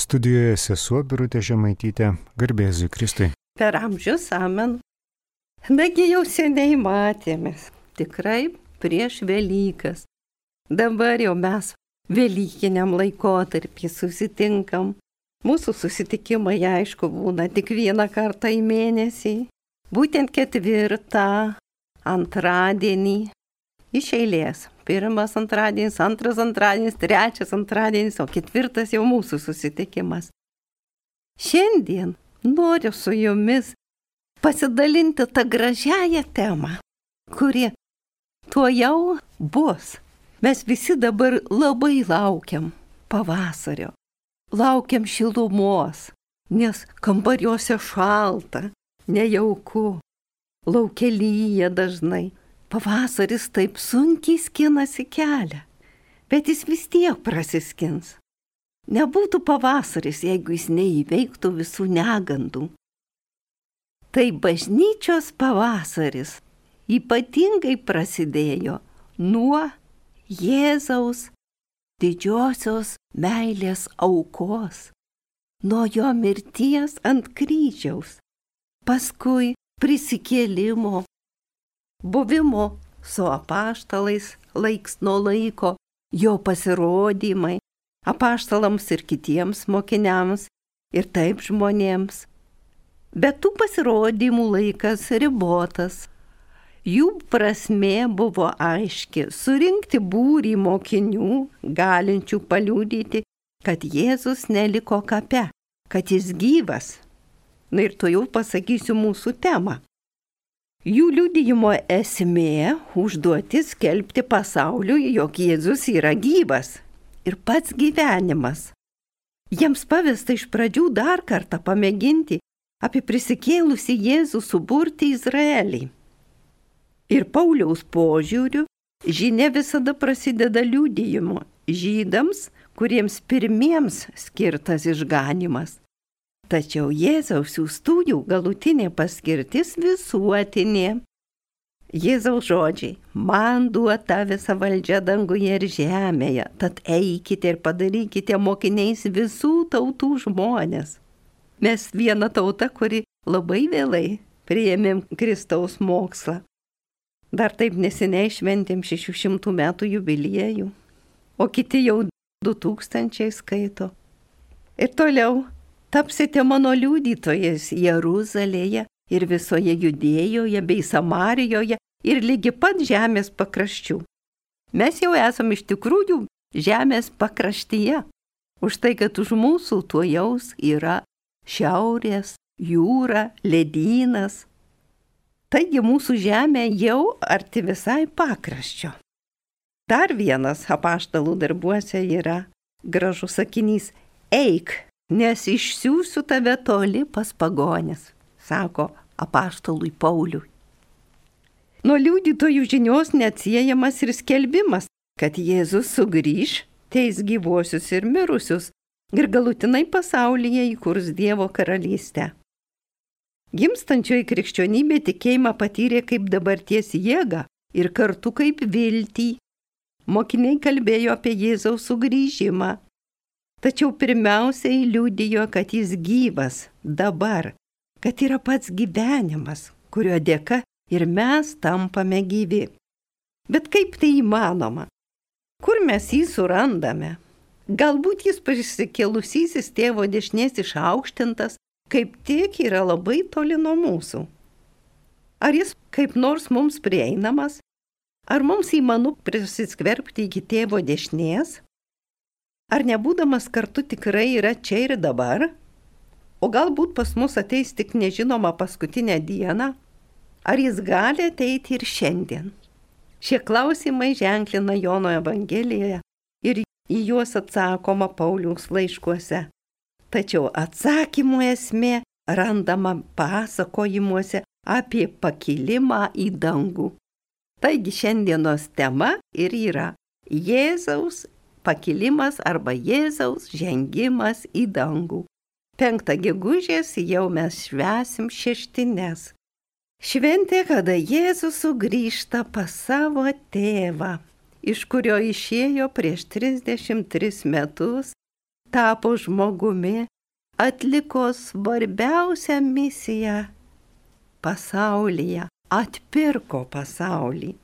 Studijoje sesuo Birutė Žemaitytė, garbėzui Kristui. Per amžius, amen. Nagi jau seniai matėmės, tikrai prieš Velykas. Dabar jau mes Velykiniam laikotarpį susitinkam. Mūsų susitikimai, aišku, būna tik vieną kartą į mėnesį. Būtent 4. antradienį iš eilės. 1 antradienis, 2 antradienis, 3 antradienis, o 4 jau mūsų susitikimas. Šiandien noriu su jumis pasidalinti tą gražiąją temą, kuri tuojau bus. Mes visi dabar labai laukiam pavasario, laukiam šilumos, nes kambariuose šalta, nejauku, lauke lyja dažnai. Pavasaris taip sunkiai skinasi kelią, bet jis vis tiek prasiskins. Nebūtų pavasaris, jeigu jis neįveiktų visų negandų. Tai bažnyčios pavasaris ypatingai prasidėjo nuo Jėzaus didžiosios meilės aukos, nuo jo mirties ant kryžiaus, paskui prisikėlimo, buvimo su apaštalais laiks nuo laiko, jo pasirodymai apaštalams ir kitiems mokiniams ir taip žmonėms. Bet tų pasirodymų laikas ribotas. Jų prasmė buvo aiški - surinkti būrį mokinių, galinčių paliudyti, kad Jėzus neliko kape, kad jis gyvas. Na ir to jau pasakysiu mūsų temą. Jų liudijimo esmė - užduotis skelbti pasauliui, jog Jėzus yra gyvas ir pats gyvenimas. Jiems pavesta iš pradžių dar kartą pamėginti apie prisikėlusį Jėzų suburti Izraelį. Ir Pauliaus požiūriu žinia visada prasideda liudijimu žydams, kuriems pirmiems skirtas išganymas. Tačiau Jėzaus siųstųjų galutinė paskirtis visuotinė. Jėzaus žodžiai - man duota visa valdžia danguje ir žemėje, tad eikite ir padarykite mokiniais visų tautų žmonės. Mes viena tauta, kuri labai vėlai priėmėm Kristaus mokslą. Dar taip neseniai šventėm 600 metų jubiliejų, o kiti jau 2000 skaito. Ir toliau tapsite mano liudytojais Jeruzalėje ir visoje Judėjoje bei Samarijoje ir lygi pat žemės pakraščių. Mes jau esam iš tikrųjų žemės pakraštyje, už tai, kad už mūsų tuojaus yra šiaurės, jūra, ledynas. Taigi mūsų žemė jau arti visai pakraščio. Dar vienas apaštalų darbuose yra gražus sakinys - eik, nes išsiųsiu tave toli pas pagones, sako apaštalui Pauliui. Nuo liudytojų žinios neatsiejamas ir skelbimas, kad Jėzus sugrįš, teis gyvuosius ir mirusius ir galutinai pasaulyje įkurs Dievo karalystę. Gimstančioji krikščionybė tikėjimą patyrė kaip dabarties jėgą ir kartu kaip viltį. Mokiniai kalbėjo apie Jėzaus sugrįžimą. Tačiau pirmiausiai liudijo, kad jis gyvas dabar, kad yra pats gyvenimas, kurio dėka ir mes tampame gyvi. Bet kaip tai įmanoma? Kur mes jį surandame? Galbūt jis prisikėlusysis tėvo dešinės išaukštintas, kaip tik yra labai toli nuo mūsų. Ar jis kaip nors mums prieinamas? Ar mums įmanu prisiskverbti iki tėvo dešinės? Ar nebūdamas kartu tikrai yra čia ir dabar? O galbūt pas mus ateis tik nežinoma paskutinę dieną? Ar jis gali ateiti ir šiandien? Šie klausimai ženklina Jono Evangelijoje ir į juos atsakoma Pauliaus laiškuose. Tačiau atsakymų esmė randama pasakojimuose apie pakilimą į dangų. Taigi šiandienos tema ir yra Jėzaus pakilimas arba Jėzaus žengimas į dangų. 5 gegužės jau mes švęsim šeštines. Šventė, kada Jėzus sugrįžta pas savo tėvą, iš kurio išėjo prieš 33 metus tapo žmogumi, atliko svarbiausią misiją pasaulyje, atpirko pasaulį.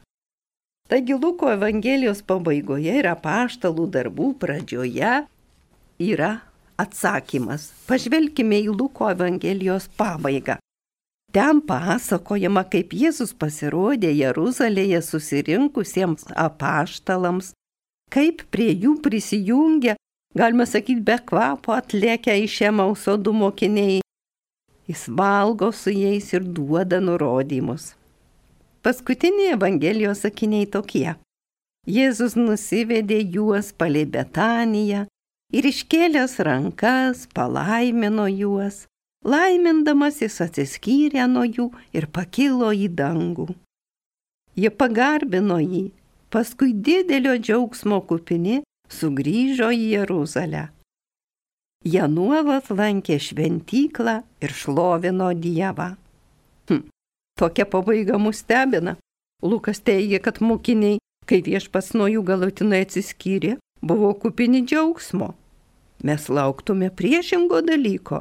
Taigi Luko Evangelijos pabaigoje ir apaštalų darbų pradžioje yra atsakymas. Pažvelkime į Luko Evangelijos pabaigą. Ten pasakojama, kaip Jėzus pasirodė Jeruzalėje susirinkusiems apaštalams, kaip prie jų prisijungė, galima sakyti, be kvapo atlėkę iš Emauso 2 mokiniai. Jis valgo su jais ir duoda nurodymus. Paskutiniai Evangelijos sakiniai tokie. Jėzus nusivedė juos palei Betaniją ir iškėlęs rankas palaimino juos. Laimindamas jis atsiskyrė nuo jų ir pakilo į dangų. Jie pagarbino jį, paskui didelio džiaugsmo kupini sugrįžo į Jeruzalę. Jie nuolat lankė šventyklą ir šlovino Dievą. Tokia pabaiga mus stebina. Lukas teigia, kad mokiniai, kai Viešpats nuo jų galutinai atsiskyrė, buvo kupini džiaugsmo. Mes lauktume priešingo dalyko,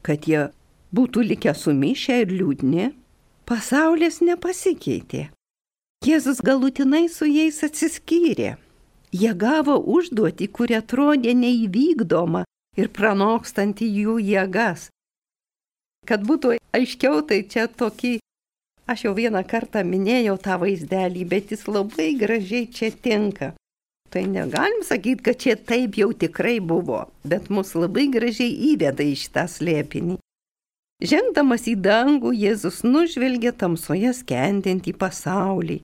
kad jie būtų likę sumišę ir liūdni. Pasaulis nepasikeitė. Jėzus galutinai su jais atsiskyrė. Jie gavo užduotį, kuri atrodė neįvykdoma ir pranokstanti jų jėgas. Kad būtų aiškiau, tai čia tokį, aš jau vieną kartą minėjau tą vaizdelį, bet jis labai gražiai čia tinka. Tai negalim sakyti, kad čia taip jau tikrai buvo, bet mus labai gražiai įveda į šitą slėpinį. Žengdamas į dangų, Jėzus nužvelgė tamsoje skendintį pasaulį.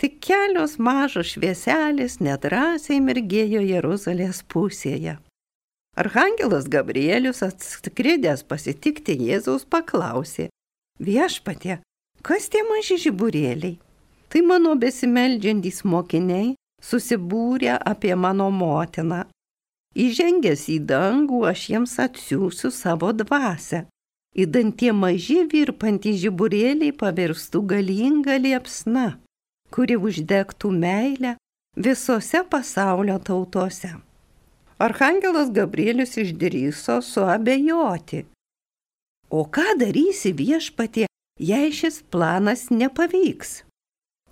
Tik kelios mažos švieselės nedrąsiai mirgėjo Jeruzalės pusėje. Arhangelas Gabrielius, atskridęs pasitikti Jėzaus, paklausė: Viešpatie, kas tie maži žiburėliai? Tai mano besimeldžiantys mokiniai, susibūrę apie mano motiną. Įžengęs į dangų, aš jiems atsiųsiu savo dvasią. Įdant tie maži virpantys žiburėliai pavirstų galingą liepsną, kuri uždegtų meilę visose pasaulio tautose. Arhangelas Gabrielius išdrįso suabejoti. O ką darysi, Viešpatie, jei šis planas nepavyks?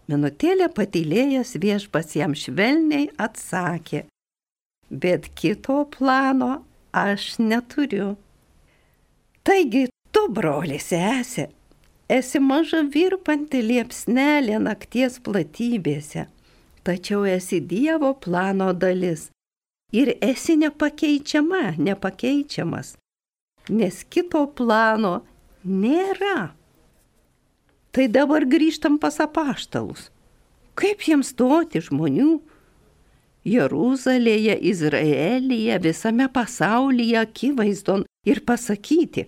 Minutėlę patylėjęs Viešpats jam švelniai atsakė: bet kito plano aš neturiu. Taigi tu, broli sesė, esi maža virpanti liepsnelė nakties platybėse, tačiau esi Dievo plano dalis ir esi nepakeičiamas, nes kito plano nėra. Tai dabar grįžtam pas apaštalus. Kaip jiems stoti žmonių Jeruzalėje, Izraelyje, visame pasaulyje akivaizdon ir pasakyti: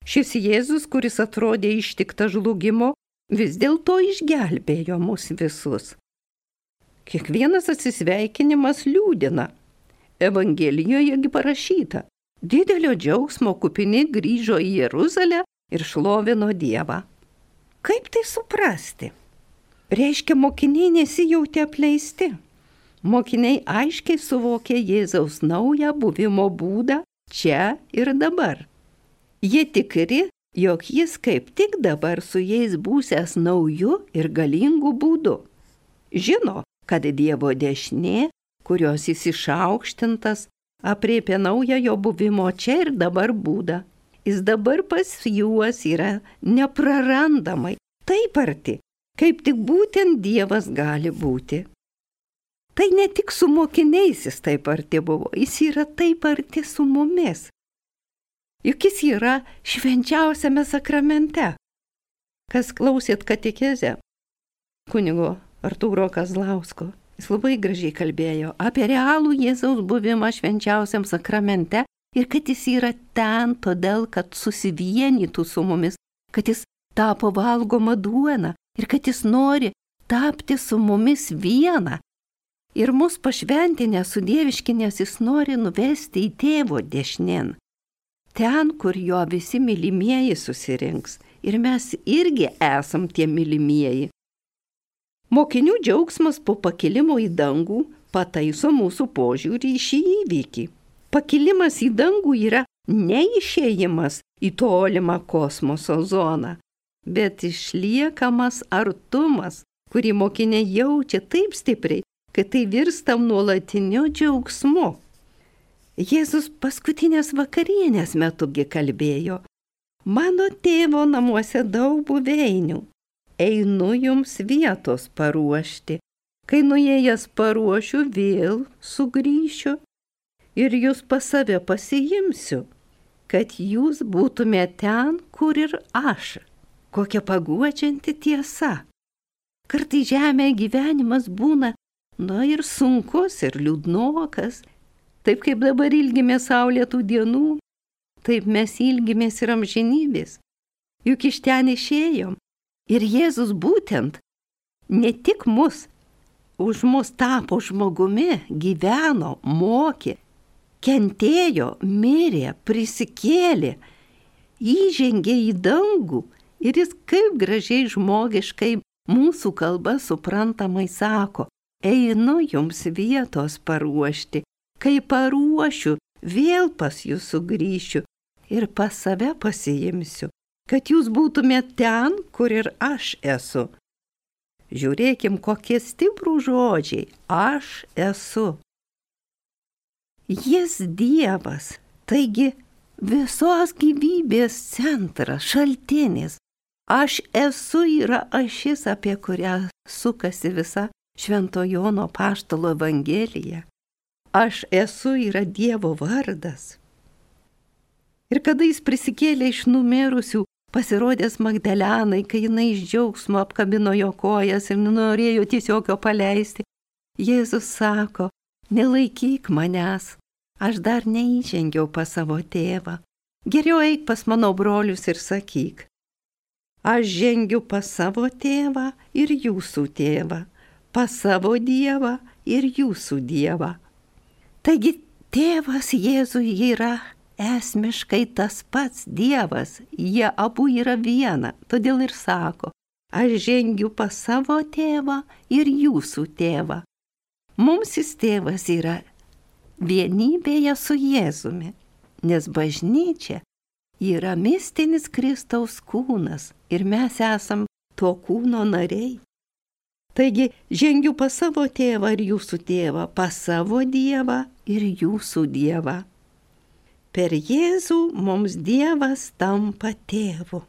šis Jėzus, kuris atrodė ištiktas žlugimo, vis dėlto išgelbėjo mus visus. Kiekvienas atsisveikinimas liūdina. Evangelijoje parašyta: didelio džiaugsmo kupini grįžo į Jeruzalę ir šlovino Dievą. Kaip tai suprasti? Reiškia, mokiniai nesijautė apleisti. Mokiniai aiškiai suvokė Jėzaus naują buvimo būdą čia ir dabar. Jie tikri, jog jis kaip tik dabar su jais būsęs nauju ir galingu būdu. Žino, kad Dievo dešinė, kurios jis išaukštintas, aprėpia naują jo buvimo čia ir dabar būdą. Jis dabar pas juos yra neprarandamai, taip arti, kaip tik būtent Dievas gali būti. Tai ne tik su mokiniais jis taip arti buvo, jis yra taip arti su mumis. Juk jis yra švenčiausiame sakramente. Kas klausėt katekezę kunigo Artūro Kazlausko, jis labai gražiai kalbėjo apie realų Jėzaus buvimą švenčiausiam sakramente ir kad jis yra ten todėl, kad susivienytų su mumis, kad jis tapo valgoma duona ir kad jis nori tapti su mumis viena. Ir mus pašventinę sudieviškinės jis nori nuvesti į tėvo dešinėn. Ten, kur jo visi mylimieji susirinks. Ir mes irgi esam tie mylimieji. Mokinių džiaugsmas po pakilimo į dangų pataiso mūsų požiūrį į šį įvykį. Pakilimas į dangų yra ne išėjimas į tolimą kosmoso zoną, bet išliekamas artumas, kurį mokiniai jaučia taip stipriai, kad tai virsta nuolatiniu džiaugsmu. Jėzus paskutinės vakarienės metugi kalbėjo: mano tėvo namuose daug buveinių, einu jums vietos paruošti, kai nuėjęs paruošiu, vėl sugrįšiu ir jūs pas save pasiimsiu, kad jūs būtumėte ten, kur ir aš. Kokia paguodžianti tiesa. Kartai žemėje gyvenimas būna, ir sunkus, ir liūdnokas. Taip kaip dabar ilgimės saulėtų dienų, taip mes ilgimės ir amžinybės. Juk iš ten išėjom. Ir Jėzus būtent ne tik už mus tapo žmogumi, gyveno, mokė, kentėjo, mirė, prisikėlė, įžengė į dangų ir jis kaip gražiai žmogiškai mūsų kalba suprantamai sako: einu jums vietos paruošti, kai paruošiu, vėl pas jūs sugrįšiu ir pas save pasiimsiu, kad jūs būtumėte ten, kur ir aš esu. Žiūrėkim, kokie stiprų žodžiai: aš esu. Jis Dievas, taigi visos gyvybės centras, šaltinis. Aš esu yra ašis, apie kurią sukasi visa Švento Jono Apaštalo Evangelija. Aš esu yra Dievo vardas. Ir kada jis prisikėlė iš numirusių, pasirodęs Magdalenai, kai jinai iš džiaugsmo apkabino jo kojas ir norėjo tiesiog jo paleisti, Jėzus sako: nelaikyk manęs, aš dar neįžengiau pas savo tėvą. Geriau eik pas mano brolius ir sakyk: aš žengiu pas savo tėvą ir jūsų tėvą, pas savo Dievą ir jūsų Dievą. Taigi tėvas Jėzui yra esmiškai tas pats Dievas, jie abu yra viena, todėl ir sako: aš žengiu pas savo tėvą ir jūsų tėvą. Mums jis tėvas yra vienybėje su Jėzumi, nes bažnyčia yra mistinis Kristaus kūnas ir mes esam to kūno nariai. Taigi žengiu pas savo tėvą ir jūsų tėvą, pas savo Dievą ir jūsų Dievą. Per Jėzų mums Dievas tampa tėvu.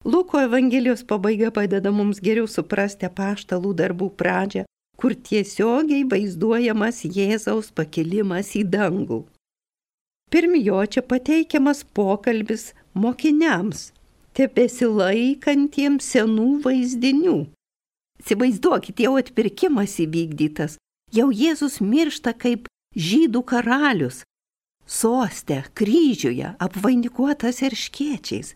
Luko Evangelijos pabaiga padeda mums geriau suprasti apaštalų darbų pradžią, kur tiesiogiai vaizduojamas Jėzaus pakilimas į dangų. Pirmi jo čia pateikiamas pokalbis mokiniams, tebesilaikantiems senų vaizdinių. Įsivaizduokit, jau atpirkimas įvykdytas, jau Jėzus miršta kaip žydų karalius, soste, kryžiuje, apvainikuotas erškėčiais.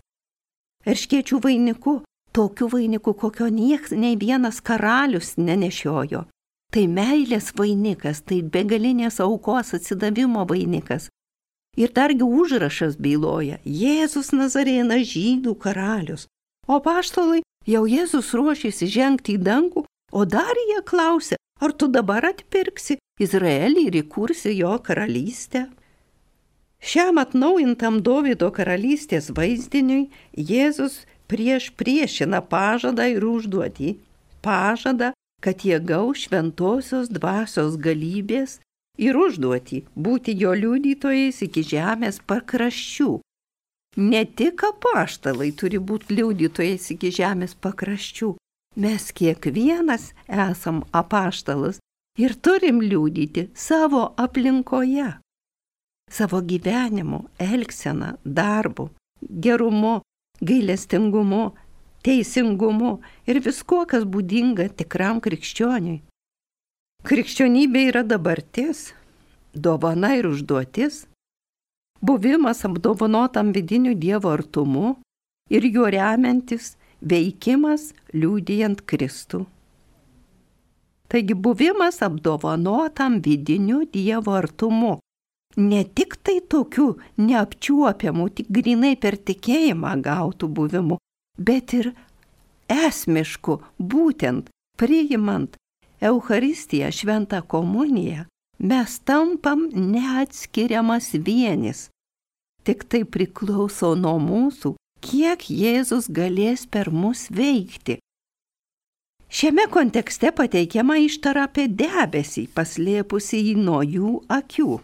Erškėčių vainiku, tokiu vainiku, kokio nei vienas karalius nenešiojo. Tai meilės vainikas, tai begalinės aukos atsidavimo vainikas. Ir dargi užrašas byloja: Jėzus Nazarėnas, žydų karalius. O apaštalai, jau Jėzus ruošėsi žengti į dangų, o dar jie klausė: ar tu dabar atpirksi Izraelį ir įkursi jo karalystę? Šiam atnaujintam Dovydo karalystės vaizdiniui Jėzus priešina pažadą ir užduotį. Pažadą, kad jie gaus šventosios dvasios galybės, ir užduotį būti jo liudytojais iki žemės pakraščių. Ne tik apaštalai turi būti liudytojais iki žemės pakraščių. Mes kiekvienas esam apaštalas ir turim liudyti savo aplinkoje. Savo gyvenimu, elgsena, darbu, gerumu, gailestingumu, teisingumu ir viskuo, kas būdinga tikram krikščioniui. Krikščionybė yra dabartis, dovana ir užduotis, buvimas apdovanotam vidiniu Dievo artumu ir juo remiantis veikimas liudijant Kristų. Taigi buvimas apdovanotam vidiniu Dievo artumu, ne tik tai tokiu neapčiuopiamu, tik grinai per tikėjimą gautų buvimu, bet ir esmišku, būtent priimant Eucharistiją, šventą komuniją, mes tampam neatskiriamas vienis. Tik tai priklauso nuo mūsų, kiek Jėzus galės per mus veikti. Šiame kontekste pateikiama ištara apie debesį, paslėpusį jį nuo jų akių.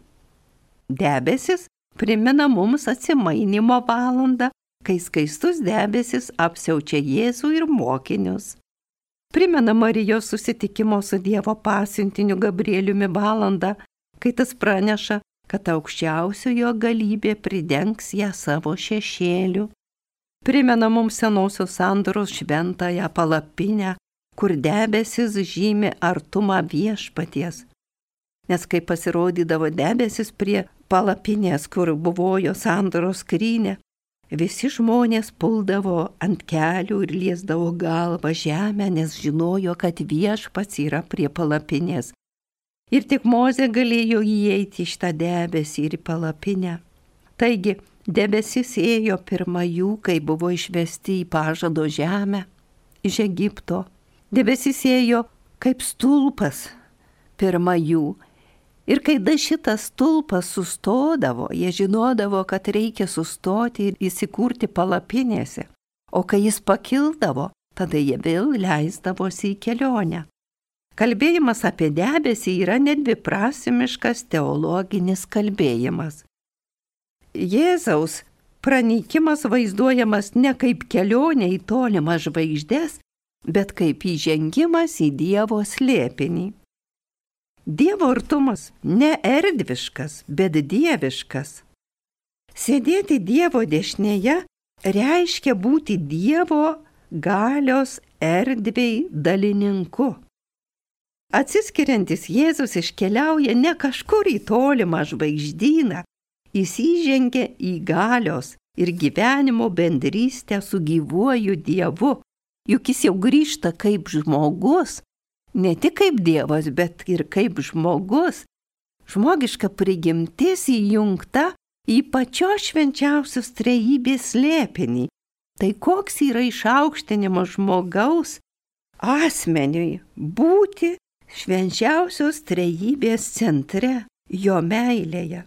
Debesis primena mums atsimainimo valandą, kai skaistus debesis apsiaučia Jėzų ir mokinius. Primena Marijos susitikimo su Dievo pasiuntiniu Gabrieliumi valandą, kai tas praneša, kad aukščiausiojo galybė pridengs ją savo šešėliu. Primena mums senosios sandoros šventąją palapinę, kur debesis žymi artumą viešpaties. Nes kai pasirodydavo debesis prie palapinės, kur buvo jo sandoros skrynia, visi žmonės puldavo ant kelių ir liesdavo galvą žemę, nes žinojo, kad viešpats yra prie palapinės. Ir tik Mozė galėjo įeiti iš tą debesį ir į palapinę. Taigi, debesis ėjo pirma jų, kai buvo išvesti į pažado žemę, iš Egipto. Debesis ėjo kaip stulpas pirma jų. Ir kai šitas stulpas sustodavo, jie žinodavo, kad reikia sustoti ir įsikurti palapinėse. O kai jis pakildavo, tada jie vėl leisdavosi į kelionę. Kalbėjimas apie debesį yra nedviprasmiškas teologinis kalbėjimas. Jėzaus pranykimas vaizduojamas ne kaip kelionė į tolimas žvaigždes, bet kaip įžengimas į Dievo slėpinį. Dievo artumas ne erdviškas, bet dieviškas. Sėdėti Dievo dešinėje reiškia būti Dievo galios erdvei dalininku. Atsiskiriantis Jėzus iškeliauja ne kažkur į tolimą žvaigždyną, jis įžengia į galios ir gyvenimo bendrystę su gyvuoju Dievu, juk jis jau grįžta kaip žmogus, ne tik kaip Dievas, bet ir kaip žmogus. Žmogiška prigimtis įjungta į pačios švenčiausios trejybės slėpinį. Tai koks yra išaukštinimo žmogaus asmeniui būti švenčiausios trejybės centre, jo meilėje.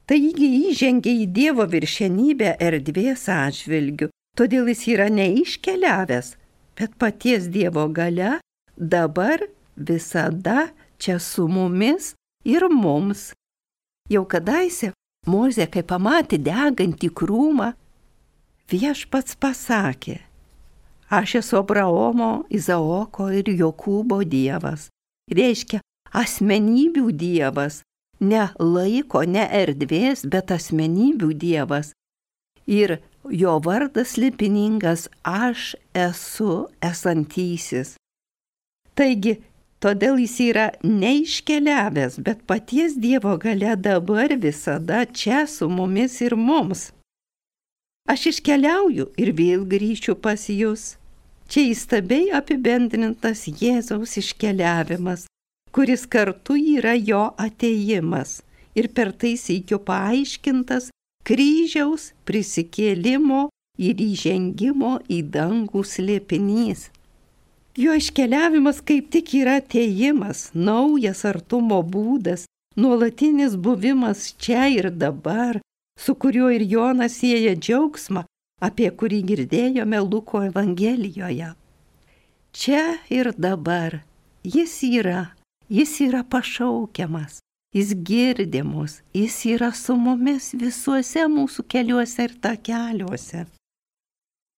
Taigi įžengia į Dievo viršenybę erdvės atžvilgiu, todėl jis yra neiškeliavęs, bet paties Dievo galia dabar visada čia su mumis ir mums. Jau kadaise Mozė, kai pamatė degantį krūmą, viešpats pasakė: aš esu Abraomo, Izaoko ir Jokūbo Dievas. Reiškia asmenybių Dievas, ne laiko, ne erdvės, bet asmenybių Dievas. Ir jo vardas slėpiningas: aš esu esantysis. Taigi, todėl jis yra neiškeliavęs, bet paties Dievo galia dabar visada čia su mumis ir mums. Aš iškeliauju ir vėl grįšiu pas jūs. Čia įstabiai apibendrintas Jėzaus iškeliavimas, kuris kartu yra jo atėjimas ir per tai sykio paaiškintas kryžiaus prisikėlimo ir įžengimo į dangų slėpinys. Jo iškeliavimas kaip tik yra atėjimas, naujas artumo būdas, nuolatinis buvimas čia ir dabar, su kuriuo ir Jonas sieja džiaugsmą, apie kurį girdėjome Luko Evangelijoje. Čia ir dabar jis yra pašaukiamas, jis girdi mus, jis yra su mumis visuose mūsų keliuose ir takeliuose.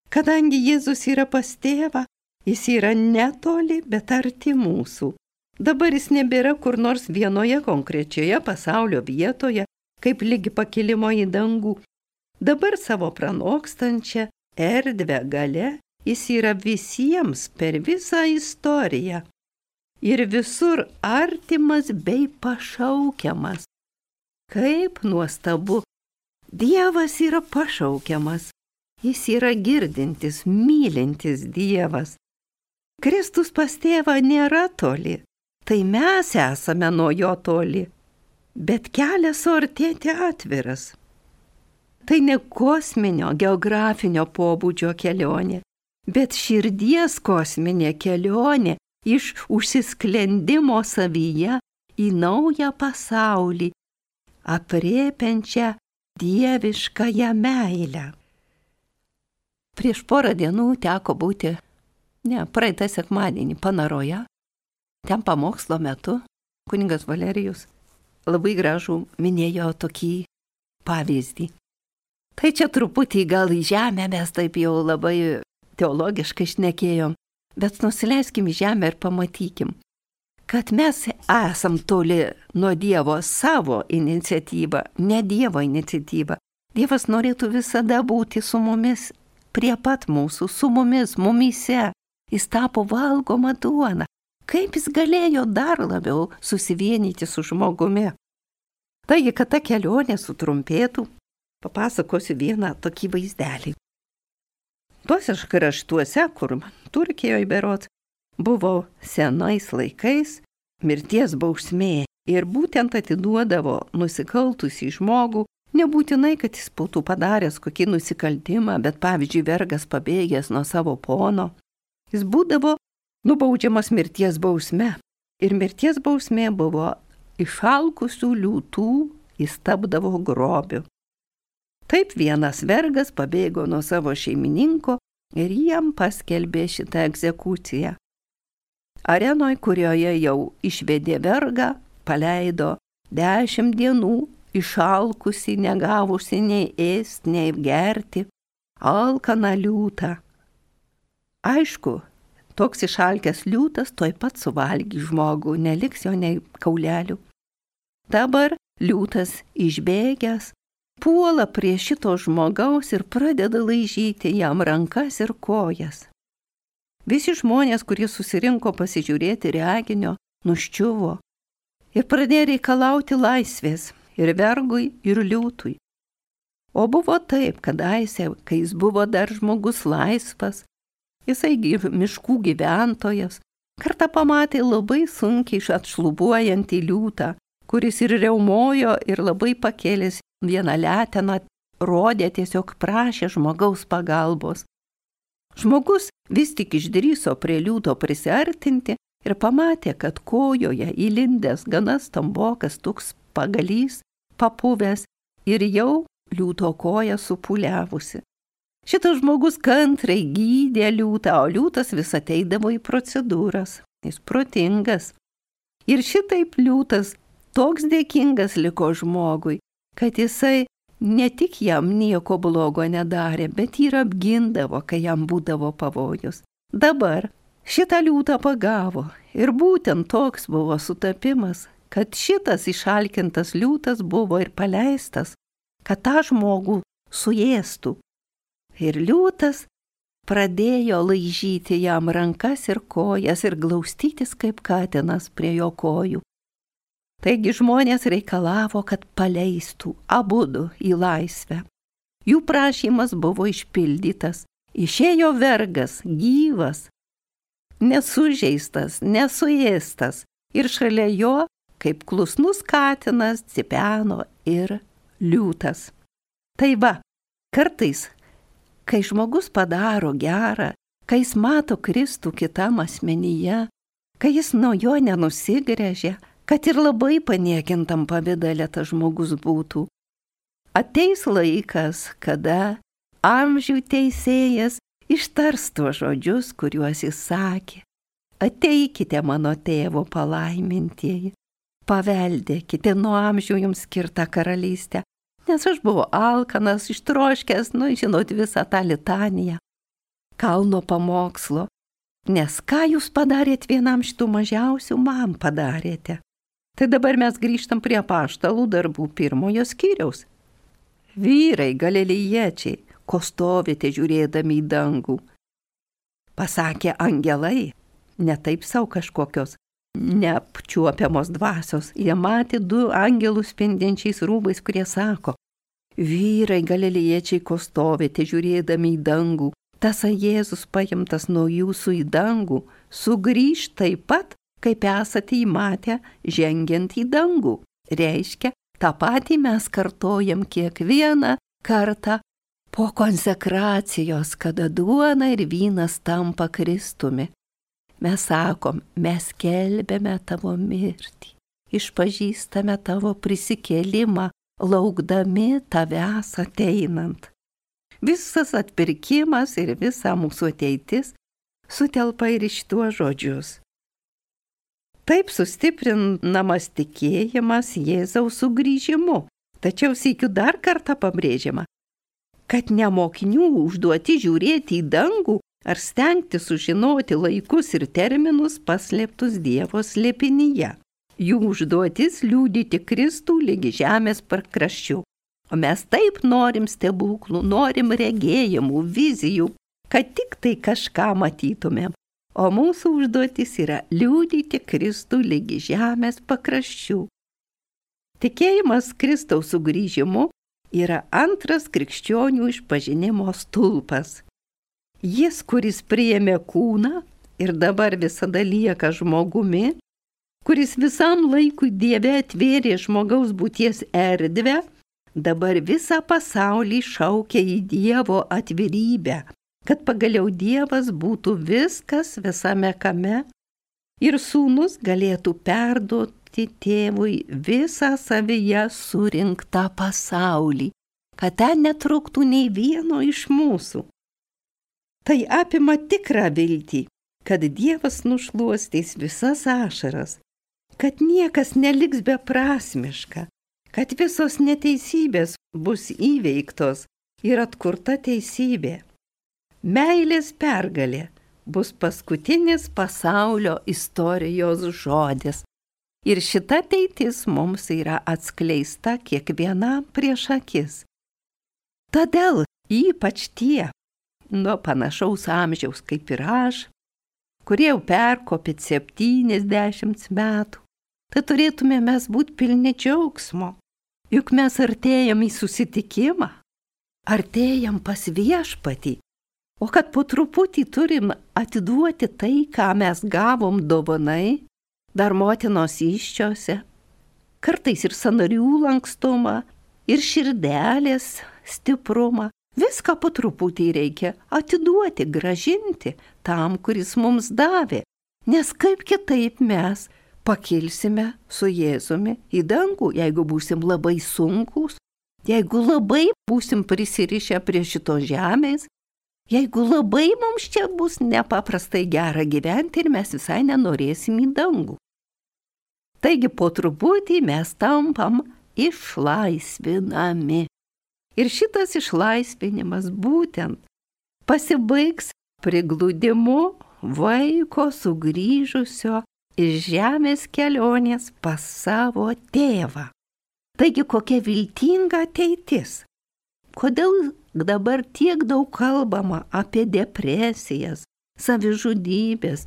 Kadangi Jėzus yra pas tėvą, jis yra netoli, bet arti mūsų. Dabar jis nebėra kur nors vienoje konkrečioje pasaulio vietoje, kaip lygi pakilimo į dangų. Dabar savo pranokstančią erdvę gale jis yra visiems per visą istoriją. Ir visur artimas bei pašaukiamas. Kaip nuostabu, Dievas yra pašaukiamas. Jis yra girdintis, mylintis Dievas. Kristus pas tėvą nėra toli, tai mes esame nuo jo toli, bet kelias suartėti atviras. Tai ne kosminio, geografinio pobūdžio kelionė, bet širdies kosminė kelionė iš užsisklendimo savyje į naują pasaulį, aprėpiančią dieviškąją meilę. Prieš porą dienų teko būti, praeitą sekmadienį Panaroje. Ten pamokslo metu kunigas Valerijus labai gražų minėjo tokį pavyzdį. Tai čia truputį gal į žemę mes taip jau labai teologiškai šnekėjom, bet nusileiskim į žemę ir pamatykim, kad mes esam toli nuo Dievo savo iniciatyvą, ne Dievo iniciatyvą. Dievas norėtų visada būti su mumis, prie pat mūsų, su mumis, mumyse. Jis tapo valgoma duona. Kaip jis galėjo dar labiau susivienyti su žmogumi? Taigi, kad ta kelionė sutrumpėtų, papasakosiu vieną tokį vaizdelį. Tuose kraštuose, kur Turkijoje berods, buvo senais laikais mirties bausmė ir būtent atiduodavo nusikaltusį žmogų, nebūtinai, kad jis būtų padaręs kokį nusikaltimą, bet pavyzdžiui, vergas pabėgęs nuo savo pono, jis būdavo nubaudžiamas mirties bausme. Ir mirties bausmė buvo išalkusių liūtų, jis tapdavo grobiu. Taip vienas vergas pabėgo nuo savo šeimininko ir jam paskelbė šitą egzekuciją. Arenoj, kurioje jau išvedė vergą, paleido 10 dienų išalkusi, negavusi nei ėsti, nei gerti, alkaną liūtą. Aišku, toks išalkęs liūtas tuoj pat suvalgys žmogų, neliks jo nei kaulelių. Dabar liūtas išbėgęs puola prie šito žmogaus ir pradeda laižyti jam rankas ir kojas. Visi žmonės, kurie susirinko pasižiūrėti reginio, nuščiuvo ir pradėjo reikalauti laisvės ir vergui, ir liūtui. O buvo taip, kadaise, kai jis buvo dar žmogus laisvas, jisai miškų gyventojas, kartą pamatė labai sunkiai atšlubuojantį liūtą, kuris ir riaumojo ir labai pakėlęs vieną leteną, rodė, tiesiog prašė žmogaus pagalbos. Žmogus vis tik išdrįso prie liūto prisiartinti ir pamatė, kad kojoje įlindęs gana stambokas toks pagalys, papuvęs ir jau liūto koja supūliavusi. Šitas žmogus kantrai gydė liūtą, o liūtas vis ateidavo į procedūras. Jis protingas. Ir šitaip liūtas toks dėkingas liko žmogui, kad jisai ne tik jam nieko blogo nedarė, bet ir apgindavo, kai jam būdavo pavojus. Dabar šitą liūtą pagavo ir būtent toks buvo sutapimas, kad šitas išalkintas liūtas buvo ir paleistas, kad tą žmogų suėstų. Ir liūtas pradėjo laižyti jam rankas ir kojas ir glaustytis kaip katinas prie jo kojų. Taigi žmonės reikalavo, kad paleistų abudu į laisvę. Jų prašymas buvo išpildytas. Išėjo vergas, gyvas, nesužeistas, nesuėstas. Ir šalia jo, kaip klusnus katinas, cipeno ir liūtas. Tai va, kartais, kai žmogus padaro gerą, kai jis mato Kristų kitam asmenyje, kai jis nuo jo nenusigręžia, kad ir labai paniekintam pavidale tas žmogus būtų. Ateis laikas, kada amžių teisėjas ištars tuos žodžius, kuriuos jis sakė. Ateikite mano tėvo palaimintieji, paveldėkite nuo amžių jums skirtą karalystę, nes aš buvau alkanas, ištroškęs, žinot visą tą litaniją, kalno pamokslo, nes ką jūs padarėt vienam šitų mažiausių, man padarėte. Tai dabar mes grįžtam prie apaštalų darbų 1 skyriaus. Vyrai galilėjiečiai, ko stovite žiūrėdami į dangų? Pasakė angelai, ne taip savo kažkokios neapčiuopiamos dvasios. Jie matė 2 angelus spindinčiais rūbais, kurie sako, vyrai galilėjiečiai, ko stovite žiūrėdami į dangų? Tasai Jėzus paimtas nuo jūsų į dangų, sugrįž taip pat, kaip esate įmatę žengiant į dangų. Reiškia, tą patį mes kartojam kiekvieną kartą po konsekracijos, kada duona ir vynas tampa Kristumi. Mes sakom, mes skelbiame tavo mirtį išpažįstame tavo prisikėlimą, laukdami tavęs ateinant. Visas atpirkimas ir visa mūsų ateitis sutelpa ir į šituos žodžius. Taip sustiprinamas tikėjimas Jėzaus sugrįžimu, tačiau sykiu dar kartą pabrėžiama, kad ne mokinių užduoti žiūrėti į dangų ar stengti sužinoti laikus ir terminus paslėptus Dievo slėpinyje. Jų užduotis liudyti Kristų lygi žemės pakraščių. O mes taip norim stebuklų, norim regėjimų, vizijų, kad tik tai kažką matytumėm. O mūsų užduotis yra liudyti Kristų lygi žemės pakraščių. Tikėjimas Kristaus sugrįžimu yra antras krikščionių išpažinimo stulpas. Jis, kuris priėmė kūną ir dabar visada lieka žmogumi, kuris visam laikui Dieve atvėrė žmogaus būties erdvę, dabar visą pasaulį šaukia į Dievo atvirybę, kad pagaliau Dievas būtų viskas visame kame ir sūnus galėtų perduoti tėvui visą savyje surinktą pasaulį, kad ten netrūktų nei vieno iš mūsų. Tai apima tikrą viltį, kad Dievas nušluostys visas ašaras, kad niekas neliks beprasmiška, kad visos neteisybės bus įveiktos ir atkurta teisybė. Meilės pergalė bus paskutinis pasaulio istorijos žodis. Ir šita ateitis mums yra atskleista kiekvienam prieš akis. Todėl ypač tie, nuo panašaus amžiaus kaip ir aš, kurie jau perkopė 70 metų, tai turėtume mes būti pilni džiaugsmo. Juk mes artėjam į susitikimą, artėjam pas Viešpatį, o kad po truputį turim atiduoti tai, ką mes gavom dovanai, dar motinos įsčiose, kartais ir sąnarių lankstumą, ir širdelės stiprumą. Viską po truputį reikia atiduoti, grąžinti tam, kuris mums davė. Nes kaip kitaip mes pakilsime su Jėzumi į dangų, jeigu būsim labai sunkūs, jeigu labai būsim prisirišę prie šitos žemės, jeigu labai mums čia bus nepaprastai gera gyventi ir mes visai nenorėsim į dangų. Taigi po truputį mes tampam išlaisvinami. Ir šitas išlaisvinimas būtent pasibaigs prigludimu vaiko sugrįžusio iš žemės kelionės pas savo tėvą. Taigi kokia viltinga ateitis. Kodėl dabar tiek daug kalbama apie depresijas, savižudybės,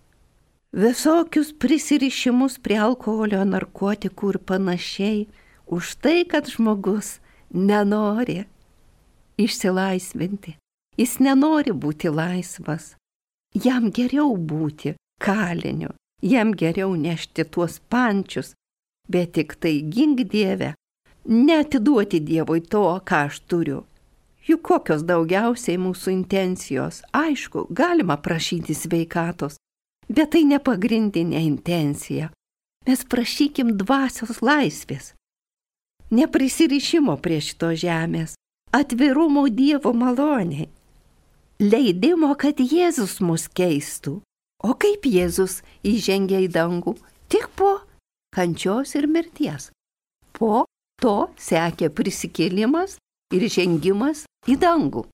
visokius prisirišimus prie alkoholio, narkotikų ir panašiai, už tai, kad žmogus nenori išsilaisvinti. Jis nenori būti laisvas. Jam geriau būti kaliniu, jam geriau nešti tuos pančius, bet tik tai gink Dieve, neatiduoti Dievui to, ką aš turiu. Juk kokios daugiausiai mūsų intencijos. Aišku, galima prašyti sveikatos, bet tai ne pagrindinė intencija. Mes prašykim dvasios laisvės, neprisirišimo prie šito žemės, atvirumo Dievo maloniai, leidimo, kad Jėzus mus keistų. O kaip Jėzus įžengė į dangų? Tik po kančios ir mirties. Po to sekė prisikėlimas ir žengimas į dangų.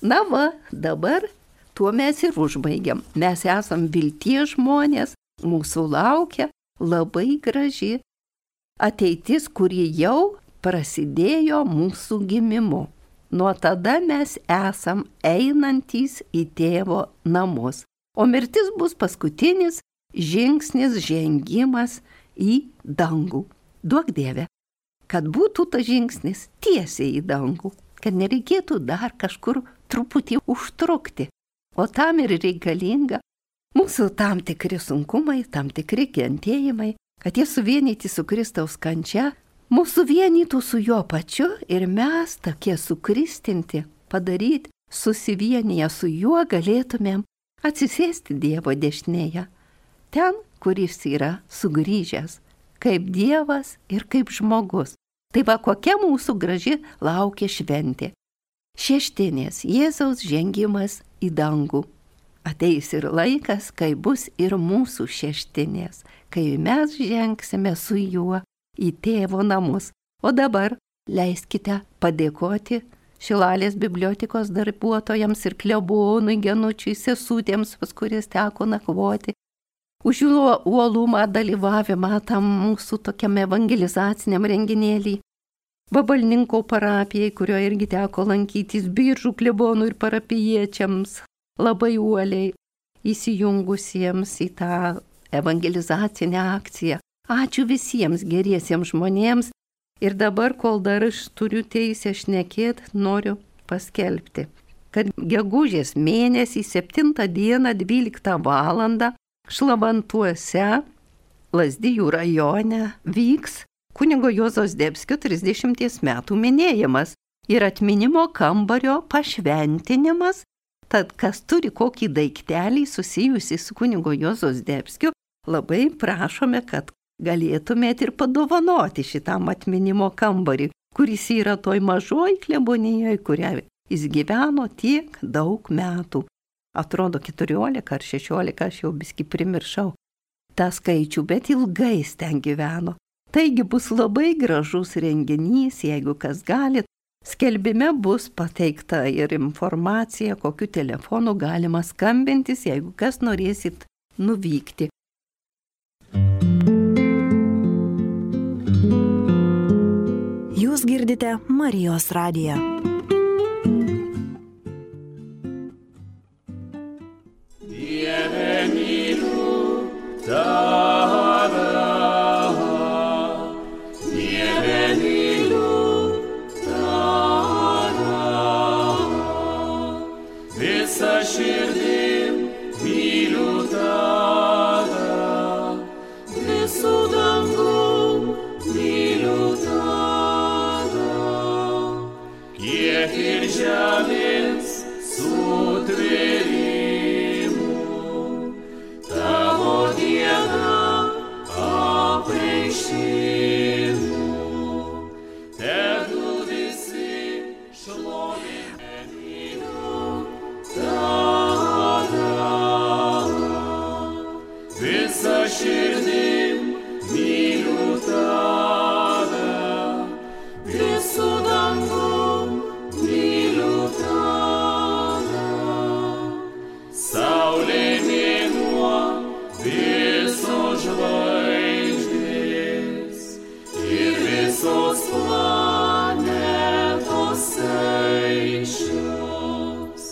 Na va, dabar tuo mes ir užbaigiam. Mes esam vilties žmonės, mūsų laukia labai graži ateitis, kuri jau prasidėjo mūsų gimimu. Nuo tada mes esam einantys į tėvo namus. O mirtis bus paskutinis žingsnis, žengimas į dangų. Duok Dieve, kad būtų tas žingsnis tiesiai į dangų, kad nereikėtų dar kažkur truputį užtrukti. O tam ir reikalinga mūsų tam tikri sunkumai, tam tikri kentėjimai, kad jie suvienyti su Kristaus kančia, mūsų vienytų su jo pačiu ir mes tokie sukristinti, padaryti, susivienyje su juo galėtumėm atsisėsti Dievo dešinėje, ten, kuris yra sugrįžęs, kaip Dievas ir kaip žmogus. Tai va kokia mūsų graži laukia šventė. Šeštinės Jėzaus žengimas į dangų. Ateis ir laikas, kai bus ir mūsų šeštinės, kai mes žengsime su juo į tėvo namus. O dabar leiskite padėkoti Šilalės bibliotekos darbuotojams ir klebonui Genučiui, sesutėms, pas kuris teko nakvoti, už jų uolumą dalyvavimą tam mūsų tokiam evangelizaciniam renginėlį. Vabalninko parapijai, kurio irgi teko lankytis, Biržų klebonų ir parapijiečiams, labai uoliai įsijungusiems į tą evangelizacinę akciją. Ačiū visiems geriesiems žmonėms. Ir dabar, kol dar aš turiu teisę šnekėti, noriu paskelbti, kad gegužės mėnesį 7 dieną 12 valandą Šlavantuose, Lazdijų rajone, vyks kunigo Juozo Zdebskio 30 metų minėjimas ir atminimo kambario pašventinimas. Tad kas turi kokį daiktelį susijusį su kunigo Juozo Zdebskiu, labai prašome, kad galėtumėte ir padovanoti šitam atminimo kambarį, kuris yra toj mažoj klebonijoje, kurią jis gyveno tiek daug metų. Atrodo 14 ar 16, aš jau biskį primiršau tą skaičių, bet ilgai ten gyveno. Taigi bus labai gražus renginys, jeigu kas galit. Skelbime bus pateikta ir informacija, kokiu telefonu galima skambintis, jeigu kas norėsit nuvykti. Jūs girdite Marijos radiją. Dieve myliu tave, Dieve myliu tave, visa širdim myliu tave, visų dangum myliu tave. Kiek ir žemės sutvėrimų, tavo diena apreiškimų, tegu visi šlovina myliu tave, visa širdim myliu tave, visų dangum myliu tave. Saulė, mėnuo, visos žvaigždės ir visos planetos aiškios,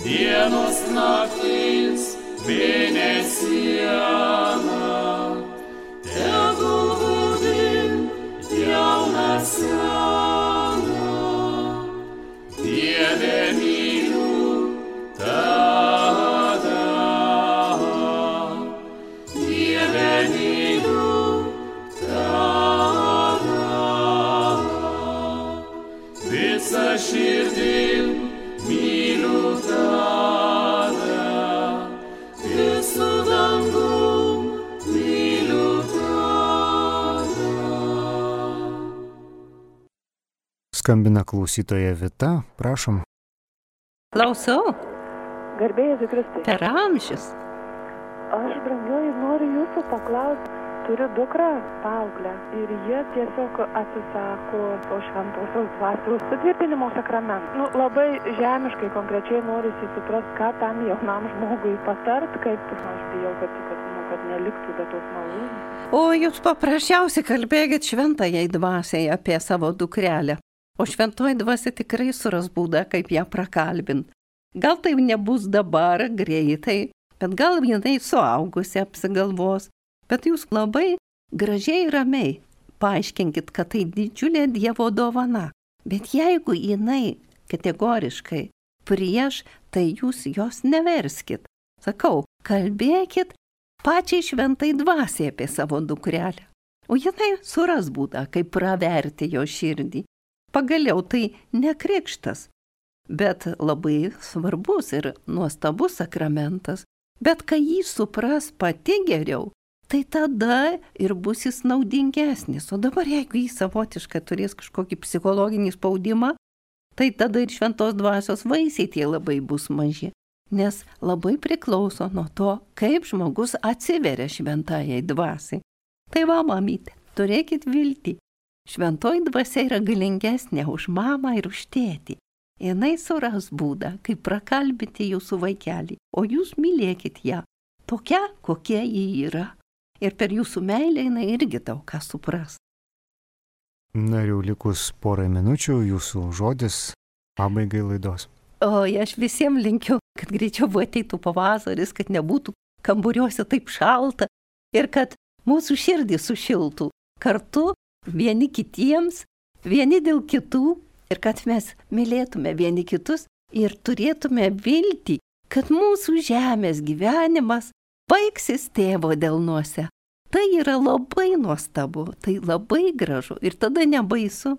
dienos naktis mėnesiena, tegul būdin jauną seną. Dieve myliu tave, Dieve myliu tave, visa širdim myliu tave, visų dangum myliu tave. Skambina klausytoja Vita, prašom. Klausau, Garbė Jėzui Kristui. per amžius. Aš, brangioji, noriu jūsų paklausti. Turiu dukrą, paauglę, ir jie tiesiog atsisako to šventosios dvasios sutvirtinimo sakramentų. Labai žemiškai, konkrečiai norisi suprasti, ką tam jaunam žmogui patart, kaip aš bijau, kad neliktų be tos malonės. O jūs paprasčiausiai kalbėkit šventajai dvasiai apie savo dukrelę. O šventoji dvasia tikrai suras būdą, kaip ją prakalbint. Gal tai nebus dabar, greitai, bet gal jinai suaugusi apsigalvos. Bet jūs labai gražiai ir ramiai paaiškinkit, kad tai didžiulė Dievo dovana. Bet jeigu jinai kategoriškai prieš, tai jūs jos neverskit. Sakau, kalbėkit pačiai šventai dvasiai apie savo dukrelę. O jinai suras būdą, kaip praverti jo širdį. Pagaliau tai ne krikštas, bet labai svarbus ir nuostabus sakramentas. Bet kai jį supras pati geriau, tai tada ir bus jis naudingesnis. O dabar jeigu jis savotiškai turės kažkokį psichologinį spaudimą, tai tada ir šventos dvasios vaisiai tie labai bus maži. Nes labai priklauso nuo to, kaip žmogus atsiveria šventajai dvasiai. Tai va, mamytė, turėkit viltį. Šventoji dvasia yra galingesnė už mamą ir už tėtį. Jinai suras būdą, kaip prakalbinti jūsų vaikelį, o jūs mylėkit ją, tokia, kokia ji yra. Ir per jūsų meilę jinai irgi daug ką supras. Na ir jau likus porą minučių jūsų žodis pabaigai laidos. Oi, aš visiems linkiu, kad greičiau ateitų pavasaris, kad nebūtų kamburiuose taip šalta ir kad mūsų širdį sušiltų kartu vieni kitiems, vieni dėl kitų ir kad mes mylėtume vieni kitus ir turėtume viltį, kad mūsų žemės gyvenimas baigsis tėvo delnuose. Tai yra labai nuostabu, tai labai gražu ir tada nebaisu,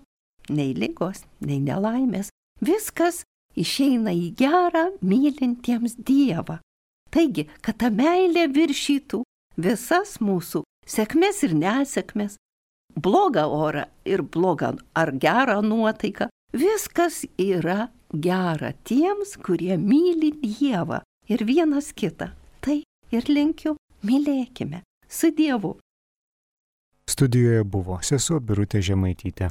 nei ligos, nei nelaimės. Viskas išeina į gerą mylintiems Dievą. Taigi, kad ta meilė viršytų visas mūsų sėkmės ir nesėkmės, blogą orą ir blogą ar gerą nuotaiką, viskas yra gera tiems, kurie myli Dievą ir vienas kitą. Tai ir linkiu, mylėkime su Dievu. Studijoje buvo sesuo Birutė Žemaitytė.